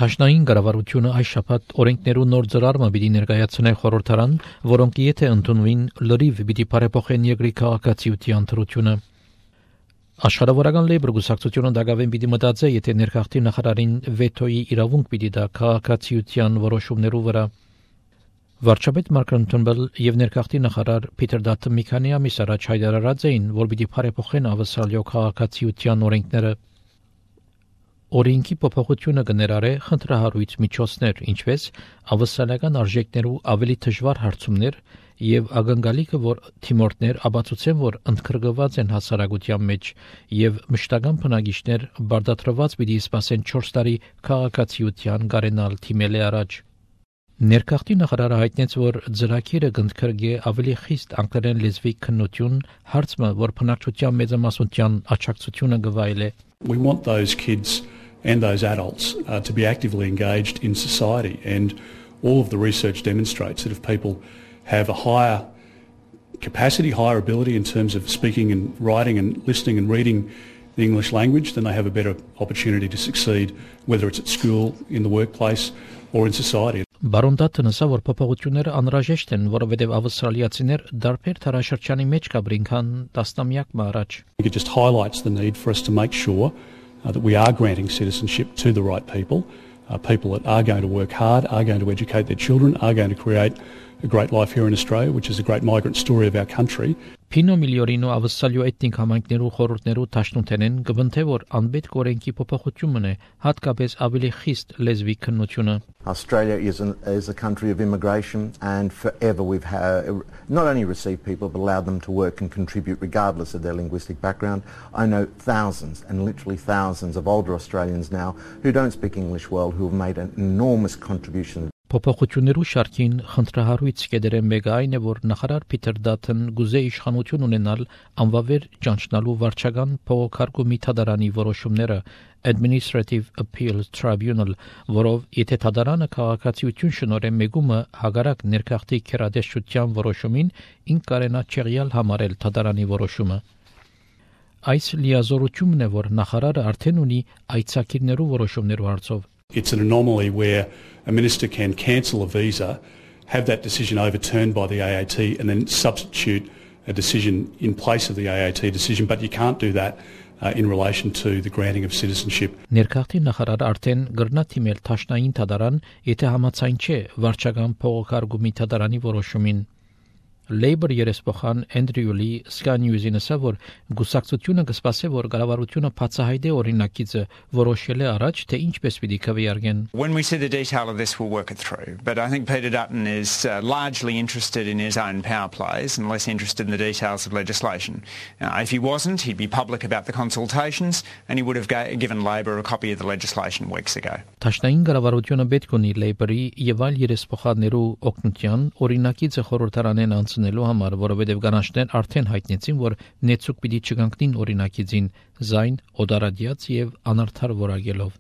Թաշնային կառավարությունը այս շաբաթ օրենքներու նոր ծրարը պիտի ներկայացնե խորհրդարան, որոնք եթե ընդունվին, լրիվ պիտի բարեփոխեն երկրի քաղաքացիության թրությունը։ Աշխարհավորական լեյբր գուսակցությունը դակավեն պիտի մտածե, եթե ներքախտի նախարարին վետոյի իրավունք պիտի դա քաղաքացիության որոշումներու վրա։ Վարչապետ Մարկրոն Թումբել եւ ներքախտի նախարար Փիթեր Դաթը մի քանի ամիս առաջ հայտարարած էին, որ պիտի բարեփոխեն ավստրալիա քաղաքացիության օրենքները։ Օրենքի փոփոխությունը կներառե խնդրահարույց միջոցներ, ինչպես ավստրալիական արժեքներու ավելի դժվար հարցումներ եւ ակնկալիքը, որ թիմորդներ ապացուցեն, որ ընդգրկված են հասարակության մեջ եւ մշտական բնակիչներ բարդատրված պիտի սպասեն 4 տարի քաղաքացիության գարենալ թիմել է առաջ։ Ներքախտի նախարարը հայտնեց, որ ծրագիրը կընդգրկի ավելի խիստ անգլերեն լեզվի քննություն, հարցը, որ բնակչության մեծամասնության աջակցությունը կվայելե։ We want those kids and those adults to be actively engaged in society, and all of the research demonstrates that if people have a higher capacity, higher ability in terms of speaking and writing and listening and reading the English language, then they have a better opportunity to succeed, whether it's at school, in the workplace or in society. Բարոն Դաթը նշա, որ փոփոխությունները անհրաժեշտ են, որովհետև ավստրալիացիներ դարբեր տարաշրջանի մեջ կաբրին քան տասնամյակ առաջ։ It just highlights the need for us to make sure that we are granting citizenship to the right people, people that are going to work hard, are going to educate their children, are going to create a great life here in Australia, which is a great migrant story of our country. Փինո միլիորինո ավստրալիո էթնիկ համայնքներու խորհուրդներու տաշնութենեն կբնթե որ անպետք օրենքի փոփոխությունն է հատկապես ավելի խիստ լեզվի քննությունը։ Australia is a country of immigration, and forever we've not only received people but allowed them to work and contribute regardless of their linguistic background. I know thousands and literally thousands of older Australians now who don't speak English well, who have made an enormous contribution. Փոփոխություններու շարքին խնդրահարույց կեդերեն մեկը այն է, որ նախարար Փիթեր Դաթն գուզե իշխանություն ունենալ անվավեր ճանչնալու վարչական փողոքարկումի թադարանի որոշումները Administrative Appeals Tribunal, որով եթե թադարանը քաղաքացիություն շնորհե մեգումը հագարակ ներքախտի քերադեսչության որոշումին, ինք կարենա չեղյալ համարել թադարանի որոշումը։ Այս լիազորությունն է, որ նախարարը արդեն ունի այցակիրներու որոշումներու հարցով։ It's an anomaly where a minister can cancel a visa, have that decision overturned by the AAT and then substitute a decision in place of the AAT decision, but you can't do that in relation to the granting of citizenship. Ներքախտի նախարարը արդեն գրնա թիմել Թաշնային թադարան, եթե համաձայն չէ վարչական փողոքարկումի թադարանի որոշումին։ Labour երեսփոխան Andrew Lee Sky News-ին ասա, որ գուսակցությունը կսպասի, որ կառավարությունը բացահայտե օրինակիցը որոշել է առաջ, թե ինչպես պիտի քվեարկեն։ When we see the detail of this, we'll work it through. But I think Peter Dutton is largely interested in his own power plays and less interested in the details of legislation. If he wasn't, he'd be public about the consultations, and he would have given Labour a copy of the legislation weeks ago. Թաշնային կառավարությունը պետք ունի Labour-ի եւ այլ երեսփոխաններու օգնության օրինակիցը խորհրդարանեն անցնելու համար, որովհետև կանանչներ արդեն հայտնեցին, որ նեցուկ պիտի չկանգնին օրինակիցին զայն օդարադիաց եւ անարդար որակելով։